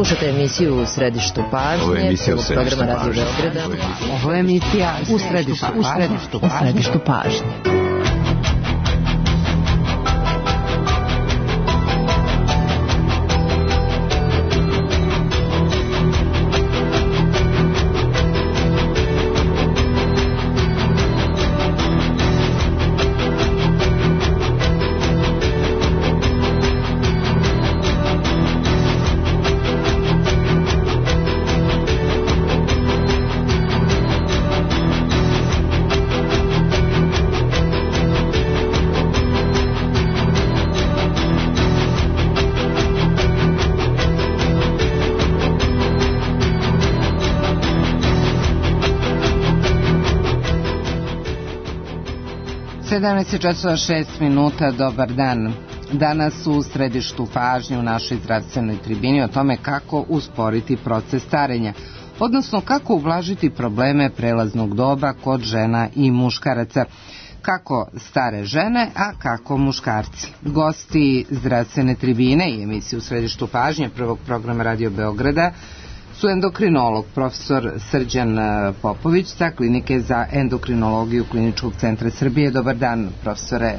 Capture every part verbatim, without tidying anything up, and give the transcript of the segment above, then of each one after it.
Slušate emisiju U središtu pažnje, prvog programa Radio Beograda. Ovo je emisija U središtu pažnje. U središtu pažnje. sedamnaest časova šest minuta, dobar dan. Danas u središtu pažnje u našoj zdravstvenoj tribini o tome kako usporiti proces starenja, odnosno kako ublažiti probleme prelaznog doba kod žena i muškaraca, kako stare žene, a kako muškarci. Gosti zdravstvene tribine i emisije U središtu pažnje prvog programa Radio Beograda su endokrinolog profesor Srđan Popović sa Klinike za endokrinologiju Kliničkog centra Srbije. Dobar dan, profesore.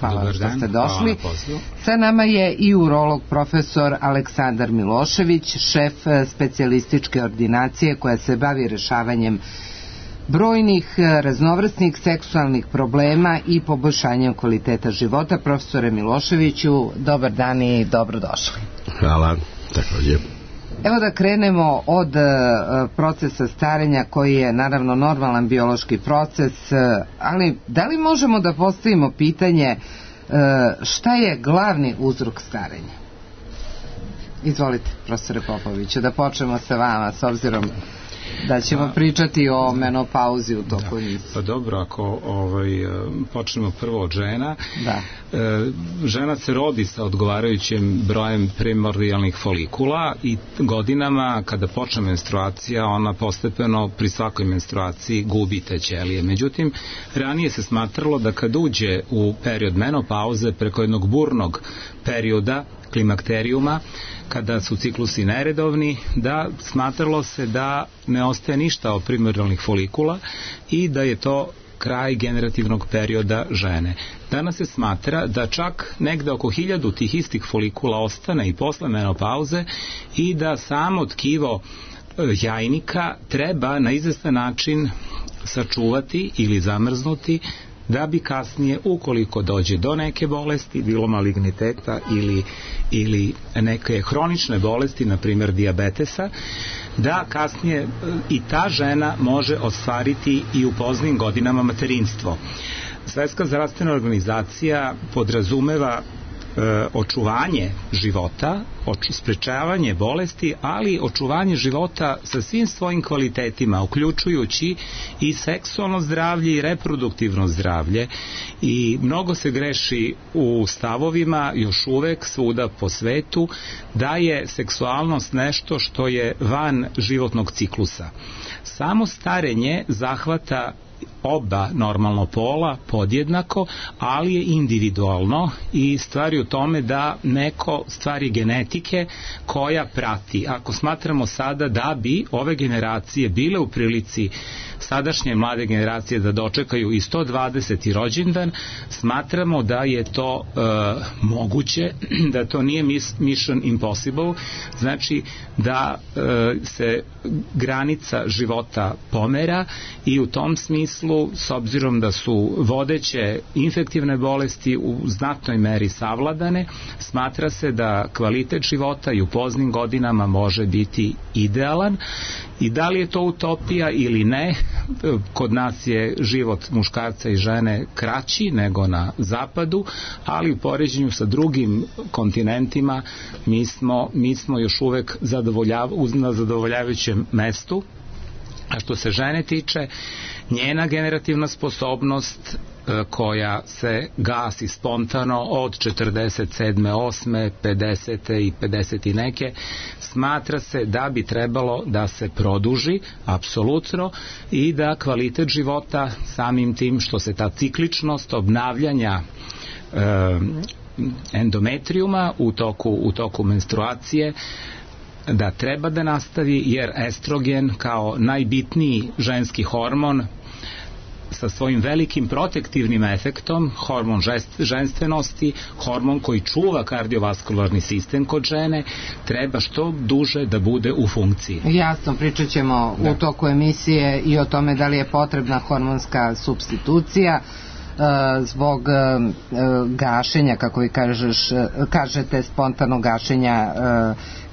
Hvala Dobar što dan. ste došli. Hvala. Sa nama je i urolog profesor Aleksandar Milošević, šef specijalističke ordinacije koja se bavi rešavanjem brojnih raznovrsnih seksualnih problema i poboljšanjem kvaliteta života. Profesore Miloševiću, dobar dan i dobrodošli. Hvala, također. Evo da krenemo od procesa starenja koji je naravno normalan biološki proces, ali da li možemo da postavimo pitanje šta je glavni uzrok starenja? Izvolite, profesore Popoviću, da počnemo sa vama, s obzirom da ćemo pričati o menopauzi u toku emisije. Pa dobro, ako ovaj, počnemo prvo od žena. Da. E, žena se rodi sa odgovarajućim brojem primordijalnih folikula i godinama kada počne menstruacija ona postepeno pri svakoj menstruaciji gubi te ćelije. Međutim, ranije se smatralo da kad uđe u period menopauze preko jednog burnog perioda klimakterijuma, kada su ciklusi neredovni, da smatralo se da ne ostaje ništa od primordijalnih folikula i da je to kraj generativnog perioda žene. Danas se smatra da čak negde oko hiljadu tih istih folikula ostane i posle menopauze i da samo tkivo jajnika treba na izvestan način sačuvati ili zamrznuti da bi kasnije, ukoliko dođe do neke bolesti, bilo maligniteta ili, ili neke hronične bolesti, na primjer dijabetesa, da kasnije i ta žena može ostvariti i u poznim godinama materinstvo. Svetska zdravstvena organizacija podrazumeva e, očuvanje života, oč, sprečavanje bolesti, ali očuvanje života sa svim svojim kvalitetima, uključujući i seksualno zdravlje i reproduktivno zdravlje. I mnogo se greši u stavovima još uvek svuda po svetu da je seksualnost nešto što je van životnog ciklusa. Samo starenje zahvata oba normalno pola podjednako, ali je individualno i stvari u tome da neko stvari genetike koja prati. Ako smatramo sada da bi ove generacije bile u prilici sadašnje mlade generacije da dočekaju i sto dvadeseti rođendan, smatramo da je to e, moguće, da to nije mission impossible, znači da e, se granica života pomera i u tom smislu, s obzirom da su vodeće infektivne bolesti u znatnoj meri savladane, smatra se da kvalitet života i u poznim godinama može biti idealan. I da li je to utopija ili ne, kod nas je život muškarca i žene kraći nego na zapadu, ali u poređenju sa drugim kontinentima mi smo, mi smo još uvek zadovoljav, na zadovoljavajućem mestu. A što se žene tiče, njena generativna sposobnost koja se gasi spontano od četrdeset sedme, osme, pedesete i pedeset i neke, smatra se da bi trebalo da se produži apsolutno i da kvalitet života samim tim što se ta cikličnost obnavljanja e, endometrijuma u toku, u toku menstruacije da treba da nastavi, jer estrogen kao najbitniji ženski hormon sa svojim velikim protektivnim efektom, hormon ženstvenosti, hormon koji čuva kardiovaskularni sistem kod žene, treba što duže da bude u funkciji. Jasno, pričat ćemo da. u toku emisije i o tome da li je potrebna hormonska supstitucija zbog gašenja, kako vi kažeš, kažete, spontanog gašenja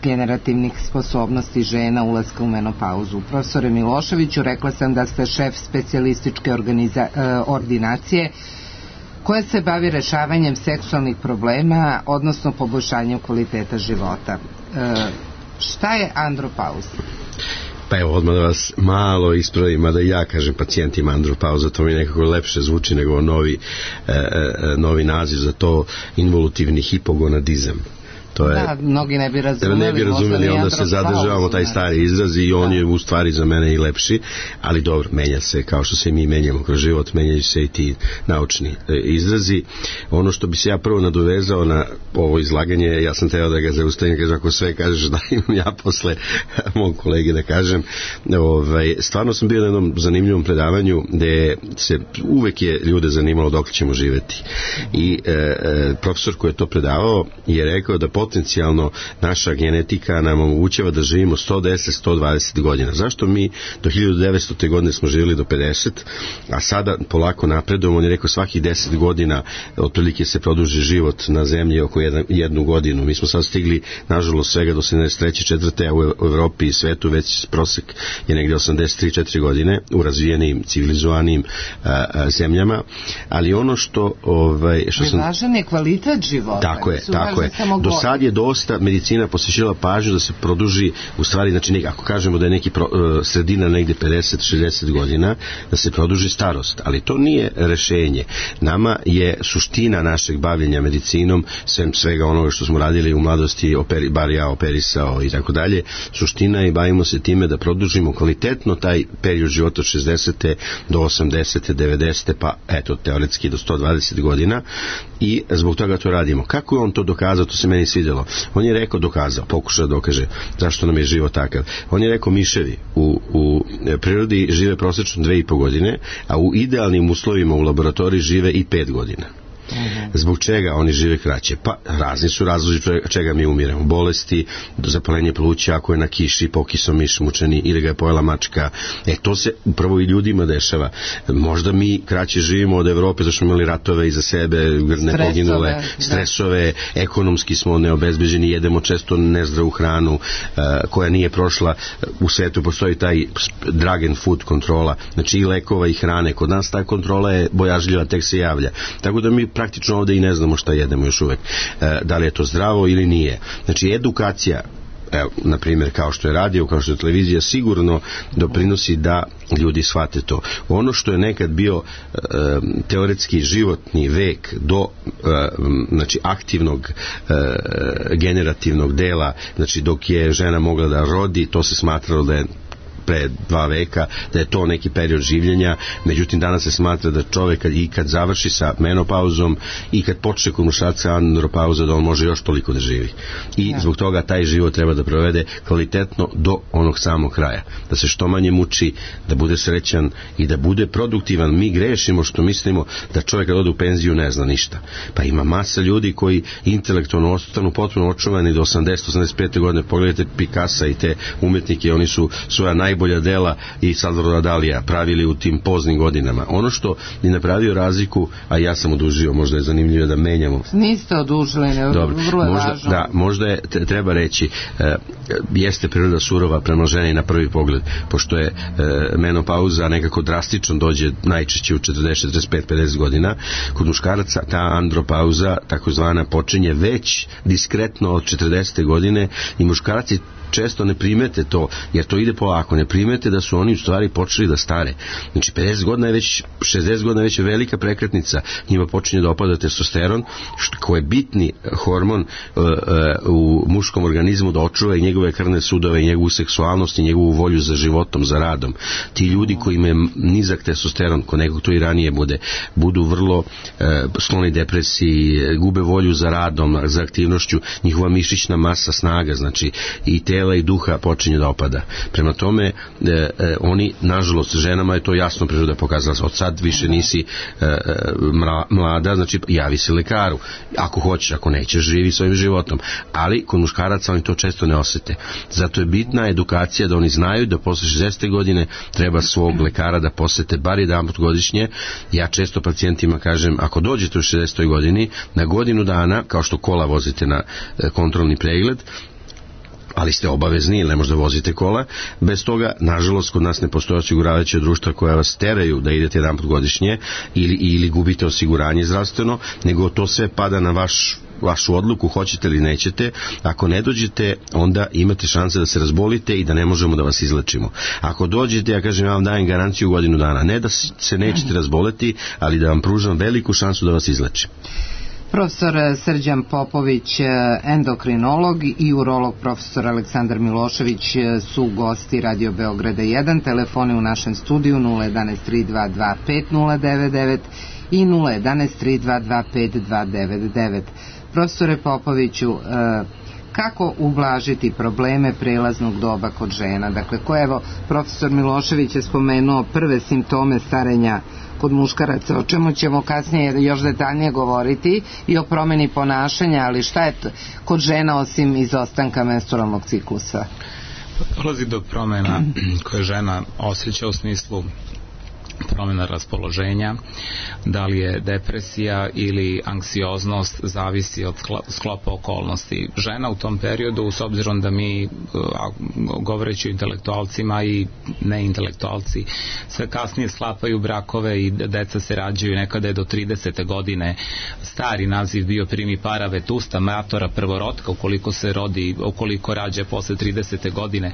generativnih sposobnosti žena, ulaska u menopauzu. Profesore Miloševiću, rekla sam da ste šef specijalističke ordinacije koja se bavi rešavanjem seksualnih problema, odnosno poboljšanjem kvaliteta života. Šta je andropauza? Pa evo, odmah da vas malo ispravim, mada ja kažem pacijentima andropauza, to mi nekako lepše zvuči nego novi, e, e, novi naziv za to, involutivni hipogonadizam. To je, da, mnogi ne bi razumeli. Ne bi razumeli, onda se zadržavamo taj stari izraz i on da. je u stvari za mene i lepši, ali dobro, menja se, kao što se mi menjamo kroz život, menjaju se i ti naučni e, izrazi. Ono što bi se ja prvo nadovezao na ovo izlaganje, ja sam teo da ga zaustavim, kažem, ako sve kažeš da imam ja posle mog kolege da kažem. Ovaj, stvarno sam bio na jednom zanimljivom predavanju gde se uvek je ljude zanimalo dok ćemo živeti. I e, e, profesor koji je to predavao je rekao da potencijalno naša genetika nam omogućava da živimo sto deset do sto dvadeset godina. Zašto mi do hiljadu devetstote godine smo živjeli do pedeset, a sada polako napredujemo? On je rekao svakih deset godina otprilike se produži život na zemlji oko jedan, jednu godinu. Mi smo sad stigli, nažalost, svega do sedamdeset treće četvrte a u Evropi i svetu već prosek je negdje osamdeset tri četiri godine u razvijenim, civilizovanim a, a, zemljama, ali ono što... Ovaj, što sam... Važan je kvalitet života. Tako je, tako je. Do sad je dosta medicina posvećila pažnju da se produži, u stvari, znači, ako kažemo da je neki pro, sredina negde pedeset do šezdeset godina, da se produži starost, ali to nije rešenje. Nama je suština našeg bavljenja medicinom, svem svega onoga što smo radili u mladosti, operi, bar ja operisao i tako dalje, suština je, bavimo se time da produžimo kvalitetno taj period života od šezdesete do osamdesete, devedesete, pa eto, teoretski do sto dvadeset godina, i zbog toga to radimo. Kako je on to dokazao, to se meni svidjelo. On je rekao, dokazao, pokušao da dokaže zašto nam je život takav. On je rekao, miševi u, u prirodi žive prosečno dve i po godine, a u idealnim uslovima u laboratoriji žive i pet godina. Zbog čega oni žive kraće? Pa razni su razlozi čega mi umiremo. Bolesti, zapalenje pluća, ako je na kiši pokisom miš mučeni ili ga je pojela mačka. E, to se upravo i ljudima dešava. Možda mi kraće živimo od Evrope, zašto smo imali ratove iza sebe, ne poginule, stresove, ekonomski smo neobezbeđeni, jedemo često nezdravu hranu uh, koja nije prošla. U svetu postoji taj drug and food kontrola, znači i lekova i hrane. Kod nas ta kontrola je bojažljiva, tek se javlja. Tako da mi praktično ovdje i ne znamo šta jedemo još uvek, e, da li je to zdravo ili nije. Znači edukacija, evo, na primjer, kao što je radio, kao što je televizija, sigurno doprinosi da ljudi shvate to. Ono što je nekad bio e, teoretski životni vek do e, znači aktivnog e, generativnog dela, znači dok je žena mogla da rodi, to se smatralo da je pre dva veka, da je to neki period življenja. Međutim, danas se smatra da čovjek kad, i kad završi sa menopauzom i kad počne kod muškarca andropauza, da on može još toliko da živi. I ja. Zbog toga taj život treba da provede kvalitetno do onog samog kraja. Da se što manje muči, da bude srećan i da bude produktivan. Mi grešimo što mislimo da čovjek kad ode u penziju ne zna ništa. Pa ima masa ljudi koji intelektualno ostanu potpuno očuvani do osamdeset do osamdeset pete godine. Pogledajte Picassa i te umetnike, oni su svoja naj najbolja dela i Salvadora Dalija pravili u tim poznim godinama. Ono što je napravio razliku, a ja sam odužio, možda je zanimljivo da menjamo. Niste odužili, ne, vrlo je možda, važno. Da, možda je, treba reći, e, jeste priroda surova prema ženi na prvi pogled, pošto je e, menopauza nekako drastično dođe najčešće u četrdeset, četrdeset pet, pedeset godina. Kod muškaraca ta andropauza, takozvana, počinje već diskretno od četrdesete godine i muškarci često ne primete to, jer to ide polako, ne primete da su oni u stvari počeli da stare. Znači pedeset godina je već, šezdeset godina je već velika prekretnica, njima počinje da opada testosteron, koji je bitni hormon uh, uh, u muškom organizmu da očuva i njegove krvne sudove i njegovu seksualnost i njegovu volju za životom, za radom. Ti ljudi koji imaju nizak testosteron, ko nekog to i ranije bude, budu vrlo uh, skloni depresiji, gube volju za radom, za aktivnošću, njihova mišićna masa, snaga, znači i tela i duha počinje da opada. Prema tome, e, e, oni, nažalost, ženama je to jasno priroda pokazala, od sad više nisi e, e, mlada, znači javi se lekaru. Ako hoćeš, ako nećeš, živi svojim životom. Ali kod muškaraca oni to često ne osete. Zato je bitna edukacija da oni znaju da posle šezdesete godine treba svog lekara da posete bar jedanput godišnje. Ja često pacijentima kažem, ako dođete u šezdesetoj godini, na godinu dana, kao što kola vozite na kontrolni pregled, ali ste obavezni ili ne možda vozite kola, bez toga, nažalost, kod nas ne postoje osiguravajuća društva koja vas teraju da idete jedan put godišnje ili, ili gubite osiguranje zdravstveno, nego to sve pada na vaš vašu odluku, hoćete ili nećete. Ako ne dođete, onda imate šanse da se razbolite i da ne možemo da vas izlečimo. Ako dođete, ja kažem, ja vam dajem garanciju godinu dana. Ne da se nećete razboleti, ali da vam pružam veliku šansu da vas izlečim. Profesor Srđan Popović, endokrinolog, i urolog profesor Aleksandar Milošević su gosti Radio Beograda jedan. Telefoni u našem studiju nula jedanaest tri dva dva pet nula devet devet i nula jedanaest tri dva dva pet dva devet devet. Profesore Popoviću, kako ublažiti probleme prelaznog doba kod žena? Dakle, ko evo, profesor Milošević je spomenuo prve simptome starenja kod muškaraca, o čemu ćemo kasnije još detaljnije govoriti, i o promeni ponašanja, ali šta je kod žena osim izostanka menstrualnog ciklusa? Dolazi do promena koje žena osjeća u smislu promjena raspoloženja, da li je depresija ili anksioznost, zavisi od sklopa okolnosti. Žena u tom periodu, s obzirom da mi, govoreći o intelektualcima i neintelektualci, sve kasnije sklapaju brakove i deca se rađaju, nekada je do tridesete godine stari naziv bio primipara vetusta, matora prvorotka, ukoliko se rodi, ukoliko rađa posle tridesete godine.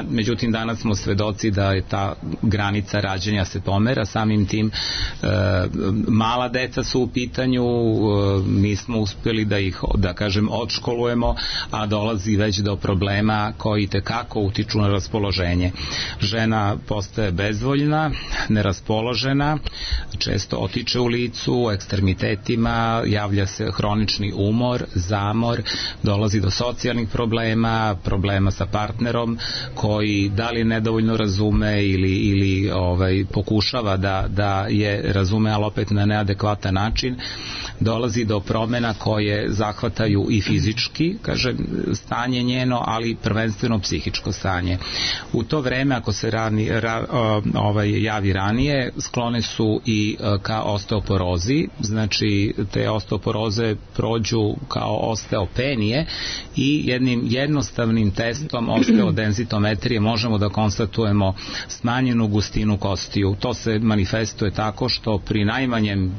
Međutim, danas smo svedoci da je ta granica rađenja se pomera, samim tim e, mala deca su u pitanju, e, nismo uspjeli da ih, da kažem, odškolujemo, a dolazi već do problema koji tekako utiču na raspoloženje. Žena postaje bezvoljna, neraspoložena, često otiče u licu, u ekstremitetima, javlja se hronični umor, zamor, dolazi do socijalnih problema, problema sa partnerom koji da li nedovoljno razume ili, ili ovaj, pokušava da, da je razume, ali opet na neadekvatan način. Dolazi do promjena koje zahvataju i fizički, kaže, stanje njeno, ali prvenstveno psihičko stanje. U to vreme, ako se rani, ra, ovaj, javi ranije, sklone su i ka osteoporozi, znači te osteoporoze prođu kao osteopenije i jednim jednostavnim testom osteodenzitometrije možemo da konstatujemo smanjenu gustinu kostiju. To se manifestuje tako što pri najmanjem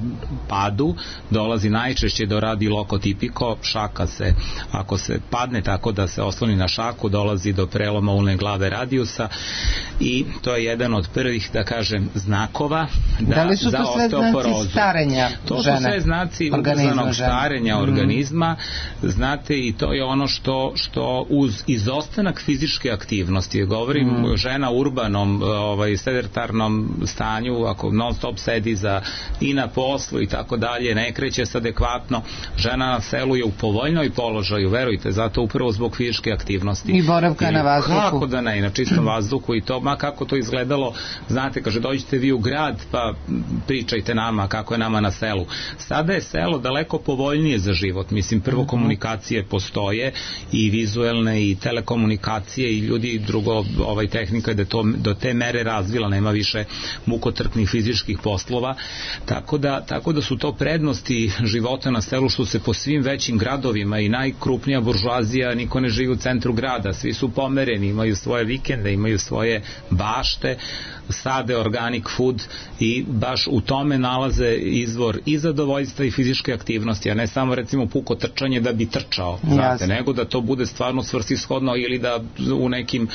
padu dolazi najčešće do radilokotipiko, šaka se, ako se padne tako da se osloni na šaku, dolazi do preloma ulne glave radijusa i to je jedan od prvih, da kažem, znakova da, da li su za to sve znaci starenja to žene? To su sve znaci ubrzanog starenja organizma, mm. znate, i to je ono što, što uz izostanak fizičke aktivnosti, govorim mm. žena u urbanom, ovaj, sedentarnom stanju, ako non stop sedi za, i na poslu i tako dalje, ne kreće se adekvatno, žena na selu je u povoljnoj položaju, verujte, zato upravo zbog fizičke aktivnosti. I boravka na vazduhu. Kako da ne, na čistom vazduhu i to, ma kako to izgledalo, znate, kaže, dođite vi u grad, pa pričajte nama kako je nama na selu. Sada je selo daleko povoljnije za život, mislim, prvo komunikacije postoje i vizuelne i telekomunikacije i ljudi, drugo, ovaj tehnika je da to do te mere razvila, nema više muko mukotrpnih fizičkih poslova, tako da, tako da su to prednosti života na selu, što se po svim većim gradovima i najkrupnija buržuazija, niko ne živi u centru grada, svi su pomereni, imaju svoje vikende, imaju svoje bašte, sade organic food i baš u tome nalaze izvor i zadovoljstva i fizičke aktivnosti, a ne samo recimo puko trčanje da bi trčao, znate, nego da to bude stvarno svrsishodno ili da u nekim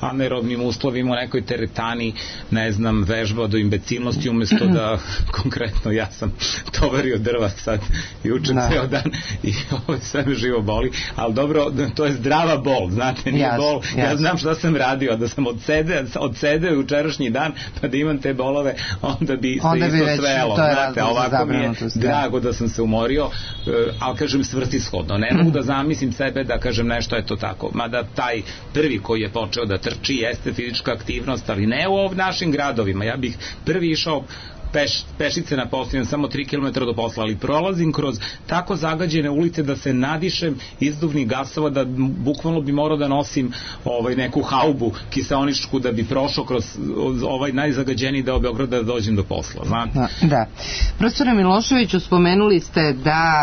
anaerobnim uslovima, u nekoj teretani, ne znam, vežba do imbecilnosti umesto da, konkretno ja sam tovario drva sad i učem ceo dan i ovo sve me živo boli, ali dobro, to je zdrava bol, znate, nije jasne, bol, jasne. Ja znam šta sam radio, da sam odsede, odsede učerašnji dan, pa da imam te bolove, onda bi se onda isto bi svelo, znate, ovako mi je drago da sam se umorio, ali kažem svrsishodno, ne mogu da zamislim sebe da kažem nešto je to tako, mada taj prvi koji je počeo da trči jeste fizička aktivnost, ali ne u ovim našim gradovima, ja bih prvi išao Peš, pešice na poslu, samo tri kilometra do posla, ali prolazim kroz tako zagađene ulice da se nadišem izduvnih gasova, da bukvalno bi morao da nosim ovaj, neku haubu kiseoničku da bi prošao kroz ovaj najzagađeniji deo Beograda da dođem do posla, znate? Da, da. Profesore Miloševiću, spomenuli ste da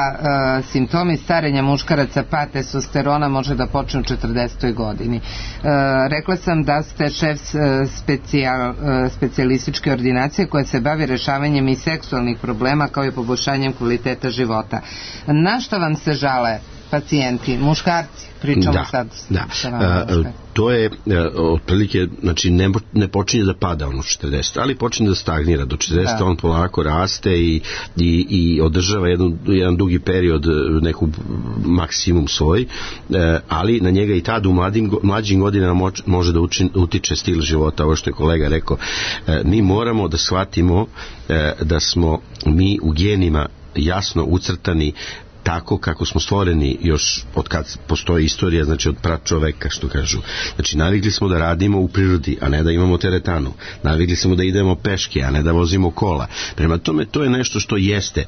uh, simptomi starenja muškaraca pa testosterona može da počne u četrdesetoj godini. Uh, rekla sam da ste šef uh, specijal, uh, specijalističke ordinacije koja se bavi rešavanjem i seksualnih problema kao i poboljšanjem kvaliteta života. Na šta vam se žale pacijenti, muškarci? Pričamo da, sad da. sa vama. A, to je otprilike, znači ne, ne počinje da pada ono četrdeset, ali počinje da stagnira do četrdeset, da. On polako raste i, i, i održava jedan, jedan dugi period, neku maksimum svoj, ali na njega i tad u mladim, mlađim godinama može da učin, utiče stil života, ovo što je kolega rekao. Mi moramo da shvatimo da smo mi u genima jasno ucrtani tako kako smo stvoreni još od kad postoji istorija, znači od pračoveka, što kažu. Znači navikli smo da radimo u prirodi, a ne da imamo teretanu. Navikli smo da idemo peške, a ne da vozimo kola. Prema tome to je nešto što jeste.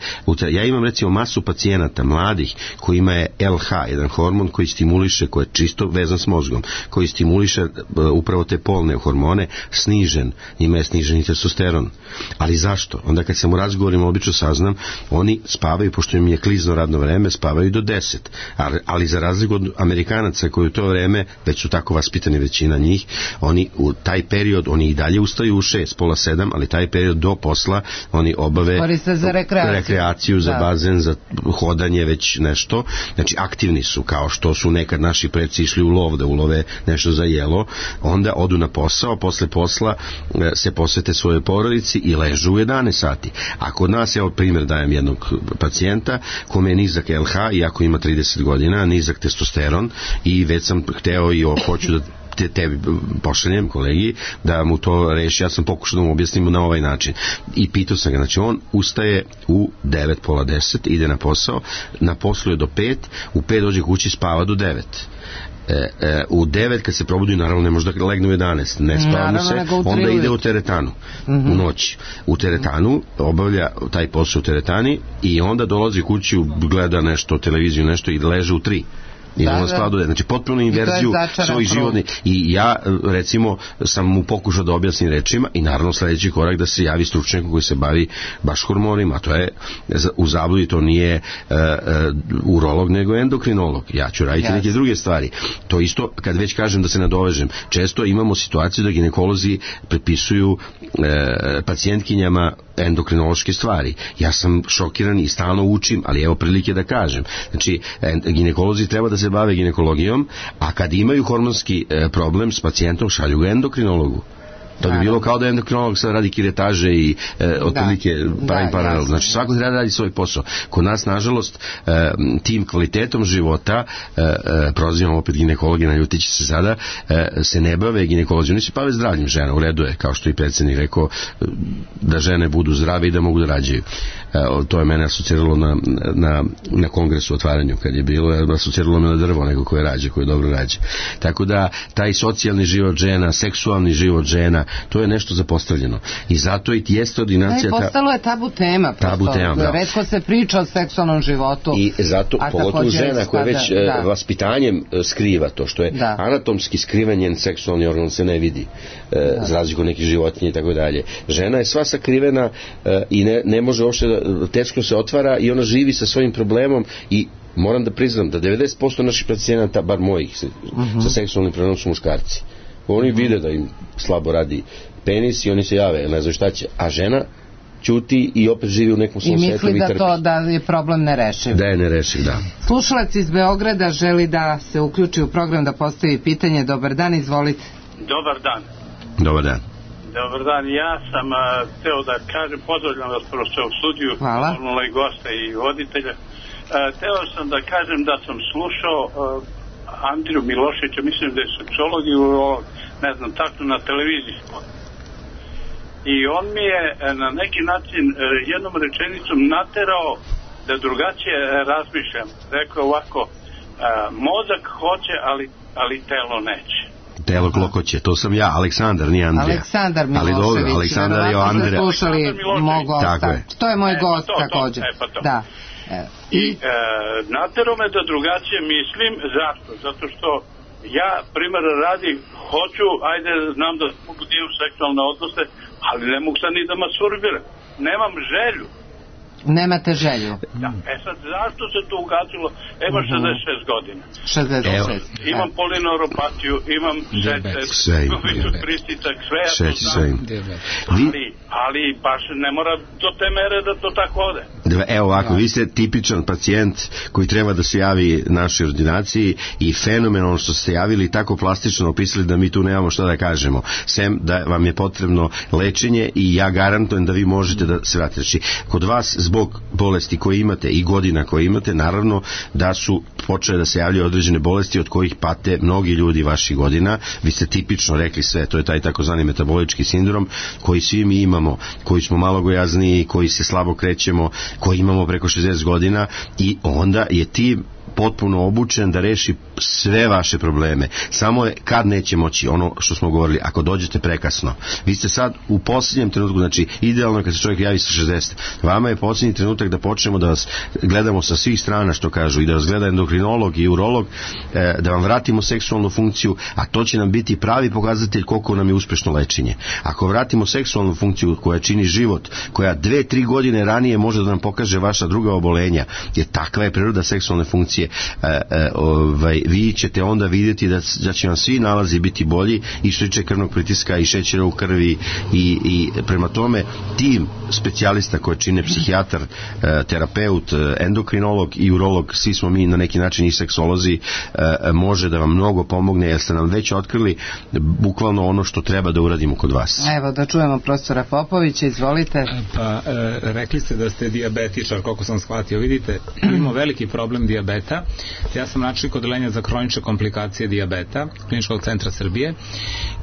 Ja imam recimo masu pacijenata mladih koji ima L H, jedan hormon koji stimuliše, koji je čisto vezan s mozgom, koji stimuliše upravo te polne hormone, snižen, njima je snižen i testosteron. Ali zašto? Onda kad sam u razgovorima obično saznam, oni spavaju, pošto im je klizno radno vreme, spavaju do deset, ali, ali za razliku od Amerikanaca koji u to vreme, već su tako vaspitani većina njih, oni u taj period, oni i dalje ustaju u šest, pola sedam, ali taj period do posla oni obave za rekreaciju, rekreaciju za da. bazen, za hodanje, već nešto, znači aktivni su, kao što su nekad naši preci išli u lov da ulove nešto za jelo, onda odu na posao, posle posla se posvete svojoj porodici i ležu u jedanaest sati. A kod nas, evo primjer dajem jednog pacijenta kome je nizak L H, iako ima trideset godina, nizak testosteron, i već sam hteo i o, hoću da te, tebi pošaljem kolegi da mu to reši, ja sam pokušao da mu objasnim na ovaj način i pitao sam ga, znači on ustaje u devet, pola deset, ide na posao, na poslu je do pet, u pet dođe kući, spava do devet. E, e, u devet kad se probudi, naravno ne može da legne u jedanaest, ne spava mu se, onda ide u teretanu, mm-hmm. u noći u teretanu, obavlja taj posao u teretani i onda dolazi kući, gleda nešto, televiziju nešto i leže u tri. I da, da. Znači potpuno inverziju svojih životnih. I ja recimo sam mu pokušao da objasnim rečima i naravno sledeći korak da se javi stručnjak koji se bavi baš hormonima, to je u zabludi, to nije uh, uh, urolog nego endokrinolog. Ja ću raditi yes. neke druge stvari. To isto, kad već kažem da se nadovežem, često imamo situaciju da ginekolozi prepisuju uh, pacijentkinjama endokrinološke stvari. Ja sam šokiran i stalno učim, ali evo prilike da kažem. Znači, ginekolozi treba da se bave ginekologijom, a kad imaju hormonski e, problem s pacijentom, šalju ga endokrinologu. To bi bilo kao da endokrinolog sad radi kiretaže i e, otprilike pravi paralel. Znači svako treba da radi svoj posao. Kod nas, nažalost, e, tim kvalitetom života, e, e, prozivam opet ginekologi, naljutit će se sada, e, se ne bave ginekolozi. Oni se bave zdravljem žena, u redu je, kao što i predsjednik rekao, da žene budu zdrave i da mogu da rađaju. E, to je mene asociralo na, na, na kongresu otvaranju, kad je bilo, asociralo me na drvo, nego koje rađe, koje dobro rađe. Tako da, taj socijalni život žena, seksualni život žena, to je nešto zapostavljeno. I zato i jeste ordinacija... Da, i postalo je tabu tema. Tabu tema, da. Retko se priča o seksualnom životu. I zato, pogotovo žena koja već da. vaspitanjem skriva to, što je da. anatomski skriven njen seksualni organ se ne vidi, da. za razliku nekih životinja i tako dalje. Žena je sva sakrivena i ne, ne može uopšte, da, teško se otvara i ona živi sa svojim problemom i moram da priznam da devedeset posto naših pacijenata, bar mojih, uh-huh. sa seksualnim problemom su muškarci. Oni uh-huh. vide da im slabo radi penis i oni se jave, ne znaju šta će. A žena ćuti i opet živi u nekom svom svetu i misli da to da je problem nerešiv. Da je nerešiv, da. Slušalac iz Beograda želi da se uključi u program, da postavi pitanje. Dobar dan, izvolite. Dobar dan. Dobar dan. Dobar dan, ja sam uh, teo da kažem, pozdravljam vas prosto u studiju, normalno i gosta i voditelja. Uh, teo sam da kažem da sam slušao uh, Andriju Miloševića, mislim da je seksolog i ne znam, tako na televiziji. I on mi je na neki način uh, jednom rečenicom naterao da drugačije razmišljam. Rekao ovako, uh, mozak hoće, ali, ali telo neće. Telo klokoće, to sam ja, Aleksandar, nije Andrija. Aleksandar Milošević. Ali dobro, Aleksandar je Andrija. Slušali mog gosta. Je. To je moj e, gost to, također. To, e, pa to. Da. E. I e, natero me da drugačije mislim. Zašto? Zato što ja, primjer radi, hoću, ajde, znam da mogu dio seksualne odnose, ali ne mogu sad ni da masturbiram. Nemam želju. Nemate želju. Da. E sad, zašto se to ugasilo? Evo uh-huh. šezdeset šest godina. šezdeset šest. Imam polineuropatiju, imam šećer, kubicu pritisak, sve ja to znam. Ali, ali baš ne mora do te mere da to tako ode. Evo ovako, vi ste tipičan pacijent koji treba da se javi našoj ordinaciji i fenomenalno što ste javili, tako plastično opisali da mi tu nemamo šta da kažemo. Sem da vam je potrebno lečenje i ja garantujem da vi možete da se vratite. Znači, kod vas zbog bolesti koje imate i godina koje imate, naravno da su počele da se javljaju određene bolesti od kojih pate mnogi ljudi vaših godina. Vi ste tipično rekli sve, to je taj takozvani metabolički sindrom koji svi mi imamo, koji smo malo gojazniji, koji se slabo krećemo, koji imamo preko šezdeset godina i onda je tim potpuno obučen da reši sve vaše probleme. Samo je kad neće moći, ono što smo govorili, ako dođete prekasno. Vi ste sad u posljednjem trenutku, znači idealno je kad se čovjek javi sa šezdeset. Vama je posljednji trenutak da počnemo da vas gledamo sa svih strana, što kažu, i da vas gleda endokrinolog i urolog, da vam vratimo seksualnu funkciju, a to će nam biti pravi pokazatelj koliko nam je uspešno lečenje. Ako vratimo seksualnu funkciju koja čini život, koja dve, tri godine ranije može da nam pokaže vaša druga obolenja, jer takva je priroda seksualne funkcije, E, e, ovaj, vi ćete onda vidjeti da, da će vam svi nalazi biti bolji i što tiče krvnog pritiska i šećera u krvi i, i prema tome tim specijalista koje čine psihijatar, e, terapeut, endokrinolog i urolog, svi smo mi na neki način i seksolozi, e, može da vam mnogo pomogne jer ste nam već otkrili bukvalno ono što treba da uradimo kod vas. Evo da čujemo profesora Popovića, izvolite. Pa e, rekli ste da ste dijabetičar, koliko sam shvatio, vidite, imamo veliki problem dijabeta. Ja sam načelnik odeljenja za hronične komplikacije dijabeta Kliničkog centra Srbije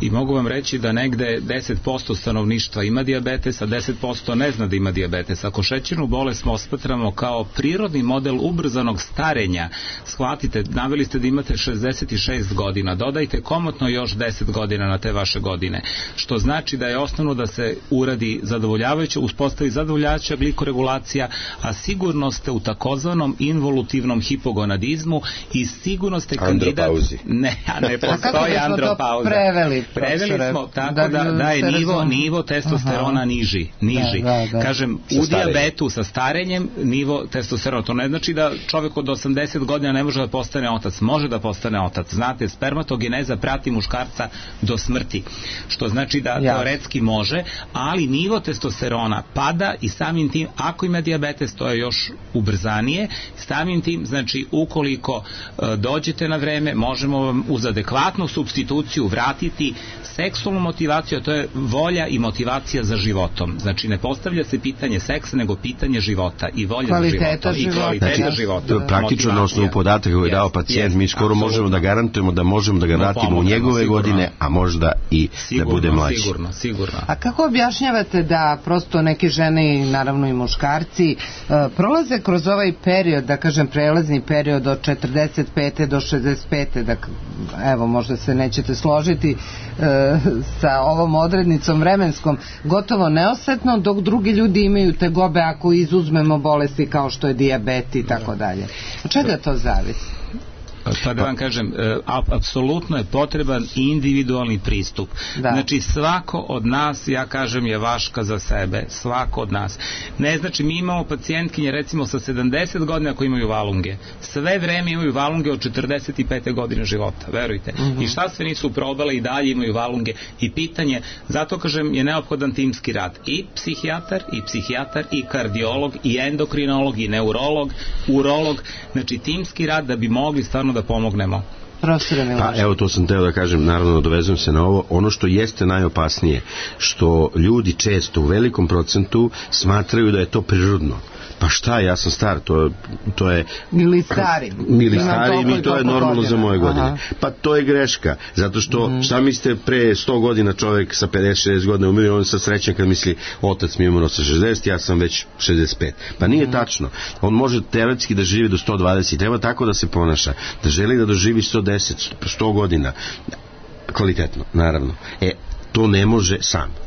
i mogu vam reći da negde deset posto stanovništva ima dijabetes, a deset posto ne zna da ima dijabetes. Ako šećernu bolest osmatramo kao prirodni model ubrzanog starenja, shvatite, naveli ste da imate šezdeset šest godina, dodajte komotno još deset godina na te vaše godine, što znači da je osnovno da se uradi zadovoljavajuće, uspostavi zadovoljavajuća glikoregulacija, a sigurno ste u takozvanom involutivnom hipogonadizmu i sigurno ste kandidat... Ne, a ne postoji andropauza. Preveli, preveli smo tako da, da, da je nivo, nivo testosterona Aha. niži. niži. Da, da, da. Kažem, sa u dijabetu sa starenjem nivo testosterona. To ne znači da čovjek od osamdeset godina ne može da postane otac. Može da postane otac. Znate, spermatogeneza prati muškarca do smrti. Što znači da ja. teoretski može, ali nivo testosterona pada i samim tim, ako ima dijabetes, to je još ubrzanije. Samim tim, znači, ukoliko e, dođete na vreme, možemo vam uz adekvatnu supstituciju vratiti seksualnu motivaciju, a to je volja i motivacija za životom. Znači, ne postavlja se pitanje seksa, nego pitanje života i volja kvaliteta za životom. života. I kvaliteta znači, života. Praktično na osnovu podataka koji je dao pacijent, yes, mi skoro absolutno. možemo da garantujemo da možemo da ga vratimo u njegove sigurno. godine, a možda i sigurno, da bude mlađi. Sigurno, sigurno. A kako objašnjavate da prosto neke žene, naravno i muškarci, uh, prolaze kroz ovaj period, da kažem prelazni period od četrdeset pete do šezdeset pete, da, evo možda se nećete složiti, uh, sa ovom odrednicom vremenskom gotovo neosetno, dok drugi ljudi imaju tegobe ako izuzmemo bolesti kao što je dijabet i tako dalje. Od čega to zavisi? Pa da vam kažem, apsolutno je potreban individualni pristup. Da. Znači svako od nas, ja kažem, je vaška za sebe, svako od nas. Ne znači, mi imamo pacijentkinje recimo sa sedamdeset godina koji imaju valunge. Sve vreme imaju valunge od četrdeset pete godine života, verujte. Mm-hmm. I šta sve nisu probale i dalje imaju valunge. I pitanje, zato kažem, je neophodan timski rad. I psihijatar, i psihijatar, i kardiolog, i endokrinolog, i neurolog, urolog. Znači timski rad da bi mogli stvarno da pomognemo. Pa evo, to sam teo da kažem, naravno dovezujem se na ovo. Ono što jeste najopasnije, što ljudi često u velikom procentu smatraju da je to prirodno. Pa šta, ja sam star, to, to je... Ili stari. Ili stari, mi to je normalno godina. Za moje godine. Aha. Pa to je greška, zato što, mm. šta mislite, pre sto godina čovjek sa pedeset šezdeset godina umire, on sa srećan kad misli, otac mi je umro sa šezdeset, ja sam već šezdeset pet. Pa nije mm. tačno. On može teoretski da živi do sto dvadeset, treba tako da se ponaša, da želi da doživi sto deset, sto godina. Kvalitetno, naravno. E, to ne može sam.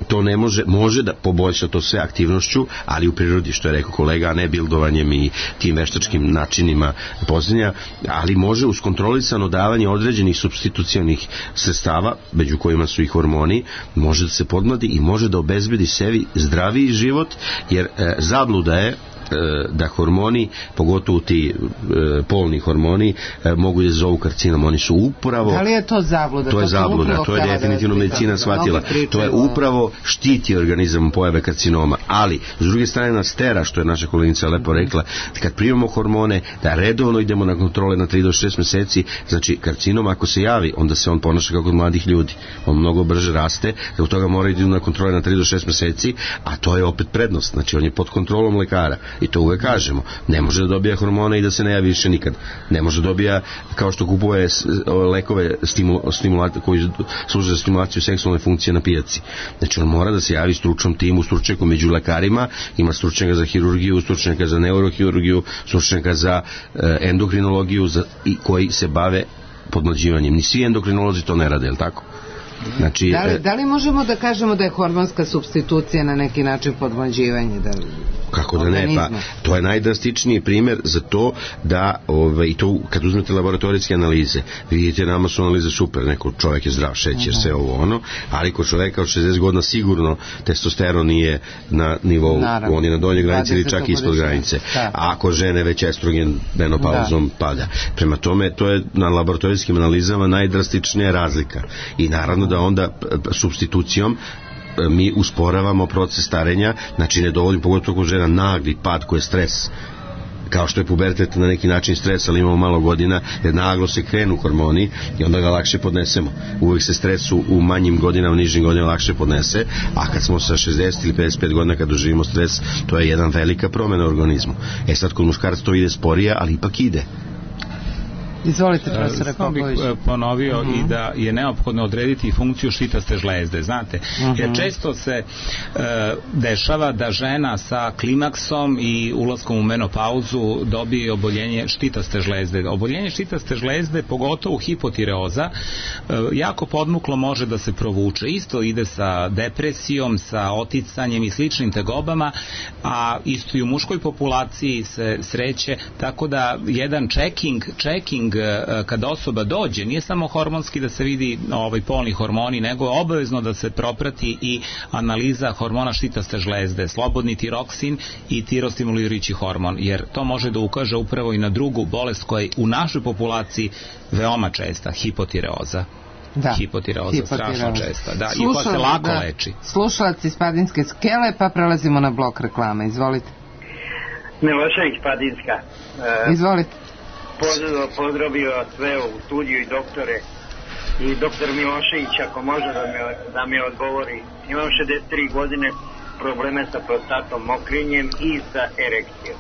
To ne može, može da poboljša to sve aktivnošću, ali u prirodi, što je rekao kolega, a ne bildovanjem i tim veštačkim načinima poznanja, ali može uz kontrolisano davanje određenih supstitucionih sredstava, među kojima su i hormoni, može da se podmladi i može da obezbedi sebi zdraviji život, jer e, zabluda je da hormoni, pogotovo ti e, polni hormoni, e, mogu da zovu karcinom. Oni su upravo... Da li je to zabluda? To je zabluda, to je definitivno medicina shvatila. To je upravo štiti organizam pojave karcinoma. Ali, s druge strane nas tera, što je naša koleginica lepo rekla, kad primamo hormone, da redovno idemo na kontrole na tri do šest meseci, znači karcinom ako se javi, onda se on ponaša kao kod mladih ljudi. On mnogo brže raste, da u toga mora ići na kontrole na tri do šest meseci, a to je opet prednost. Znači, on je pod kontrolom lekara. I to uvek kažemo. Ne može da dobija hormone i da se ne javi više nikad. Ne može da dobija, kao što kupuje lekove stimula, stimulata, koji služe za stimulaciju seksualne funkcije na pijaci. Znači on mora da se javi stručnom timu, stručnjaku među lekarima, ima stručnjaka za hirurgiju, stručnjaka za neurohirurgiju, stručnjaka za e, endokrinologiju za, i koji se bave podmlađivanjem. Ni svi endokrinolozi to ne rade, je li tako? Znači, da, li, da li možemo da kažemo da je hormonska supstitucija na neki način podmlađivanje? Da, kako da ne, pa to je najdrastičniji primjer za to da, ove, i to kad uzmete laboratorijske analize, vidite, nama su analize super, neko čovjek je zdrav, šećer, uh-huh. sve ovo ono, ali kod čovjeka od šezdeset godina sigurno testosteron nije na nivou, naravno, on je na donjoj granici ili čak ispod granice, da. A kod žene već estrogen menopauzom da. pada. Prema tome, to je na laboratorijskim analizama najdrastičnija razlika i naravno da onda supstitucijom mi usporavamo proces starenja, znači ne dovodim, pogotovo kod žena, nagli pad koji je stres, kao što je pubertet na neki način stres, ali imamo malo godina, jer naglo se krenu hormoni i onda ga lakše podnesemo. Uvijek se stresu u manjim godinama, nižim godinama lakše podnese, a kad smo sa šezdeset ili pedeset pet godina kad doživimo stres, to je jedan velika promjena u organizmu. E sad kod muškaraca to ide sporije, ali ipak ide. Izvolite, profesore Popović. Sam bih ponovio uh-huh. i da je neophodno odrediti funkciju štitaste žlezde, znate, uh-huh. jer često se uh, dešava da žena sa klimaksom i ulaskom u menopauzu dobije oboljenje štitaste žlezde. Oboljenje štitaste žlezde, pogotovo hipotireoza, uh, jako podmuklo može da se provuče. Isto ide sa depresijom, sa oticanjem i sličnim tegobama, a isto i u muškoj populaciji se sreće, tako da jedan checking, checking kada osoba dođe, nije samo hormonski da se vidi ovaj polni hormoni, nego je obavezno da se proprati i analiza hormona štitaste žlezde, slobodni tiroksin i tirostimulirajući hormon, jer to može da ukaže upravo i na drugu bolest koja je u našoj populaciji veoma česta, hipotireoza. Da. Hipotireoza, hipotireoza, strašno česta. Da, slušala, i koja se lako da, leči. Slušalac iz Padinske skele, pa prelazimo na blok reklama. Izvolite. Milošević, Padinska. Uh, Izvolite. Pozdravio sve u studiju i doktore i doktor Milošević, ako može da mi, da mi odgovori. Imam šezdeset tri godine, probleme sa prostatom, mokrinjem i sa erekcijom.